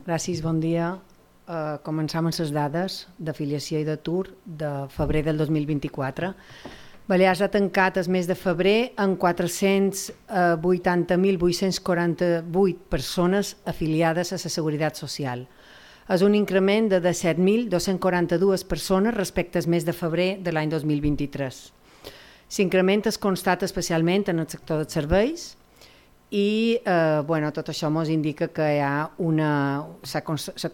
Gràcies, bon dia. Començam amb les dades d'afiliació i d'atur de febrer del 2024. Balears ha tancat el mes de febrer amb 480.848 persones afiliades a la Seguretat Social. És un increment de 17.242 persones respecte al mes de febrer de l'any 2023. L'increment es constata especialment en el sector dels serveis i tot això ens indica que hi ha la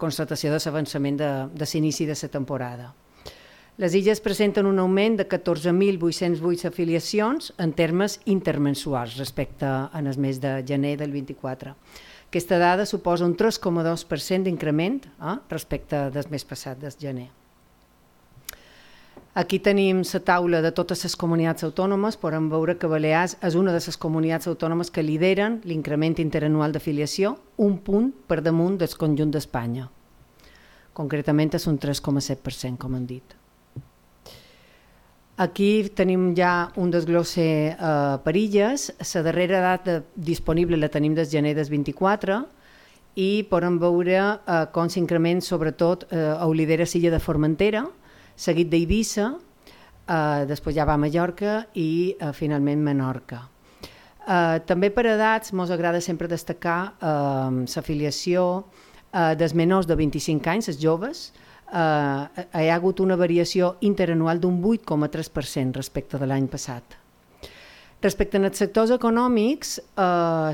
constatació de l'avançament de l'inici de la temporada. Les illes presenten un augment de 14.808 afiliacions en termes intermensuals respecte al mes de gener del 24. Aquesta dada suposa un 3,2% d'increment respecte del mes passat, del gener. Aquí tenim la taula de totes les comunitats autònomes. Podem veure que Balears és una de les comunitats autònomes que lideren l'increment interanual d'afiliació, un punt per damunt del conjunt d'Espanya. Concretament és un 3,7%, com hem dit. Aquí tenim ja un desglosse per illes. La darrera data disponible la tenim des gener del 24 i podem veure com s'increment sobretot ho lidera l'illa de Formentera, seguit d'Eivissa, després ja va a Mallorca i finalment Menorca. També per edats ens agrada sempre destacar l'afiliació dels menors de 25 anys, els joves. Hi ha hagut una variació interanual d'un 8,3% respecte de l'any passat. Respecte als sectors econòmics,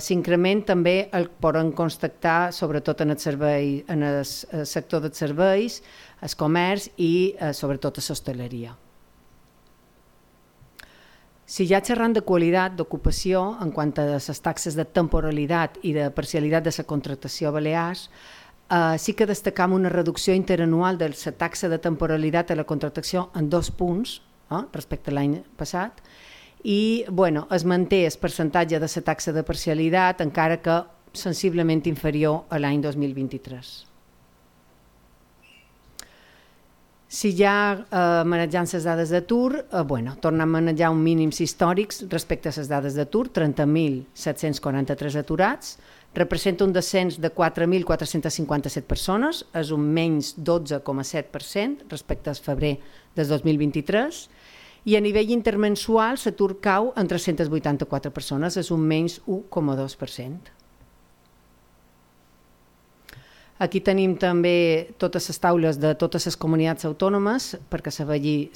s'increment també el poden constatar sobretot en el sector dels serveis, el comerç i sobretot a l'hostaleria. Si ja xerrant de qualitat d'ocupació en quant a les taxes de temporalitat i de parcialitat de la contractació a Balears, sí que destacam una reducció interanual de la taxa de temporalitat a la contractació en 2 punts respecte a l'any passat i es manté el percentatge de la taxa de parcialitat encara que sensiblement inferior a l'any 2023. Si ja manejant les dades d'atur, tornem a manejar uns mínims històrics respecte a les dades d'atur, 30.743 aturats, representa un descens de 4.457 persones, és un menys 12,7% respecte al febrer del 2023, i a nivell intermensual l'atur cau en 384 persones, és un menys 1,2%. Aquí tenim també totes les taules de totes les comunitats autònomes perquè se vegi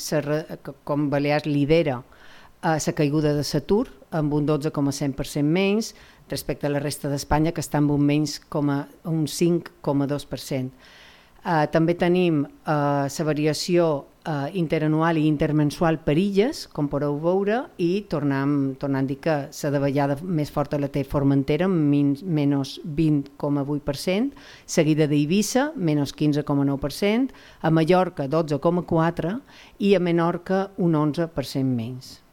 com Balears lidera la caiguda de l'atur amb un 12,5% menys respecte a la resta d'Espanya que està amb un menys un 5,2%. També tenim la variació interanual i intermensual per illes, com podeu veure, i tornant a dir que la davallada més forta la té Formentera, amb menys 20,8%, seguida d'Eivissa, menys 15,9%, a Mallorca, 12,4%, i a Menorca, un 11% menys.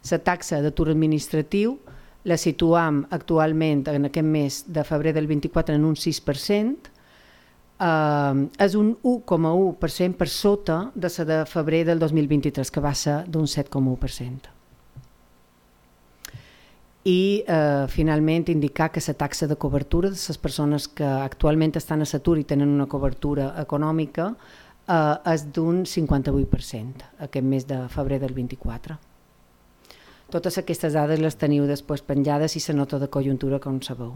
La taxa d'atur administratiu la situam actualment en aquest mes de febrer del 24 en un 6%, és un 1,1% per sota de la de febrer del 2023, que va ser d'un 7,1%. I finalment indicar que la taxa de cobertura de les persones que actualment estan a l'atur i tenen una cobertura econòmica és d'un 58% aquest mes de febrer del 24. Totes aquestes dades les teniu després penjades i la nota de conjuntura, com sabeu.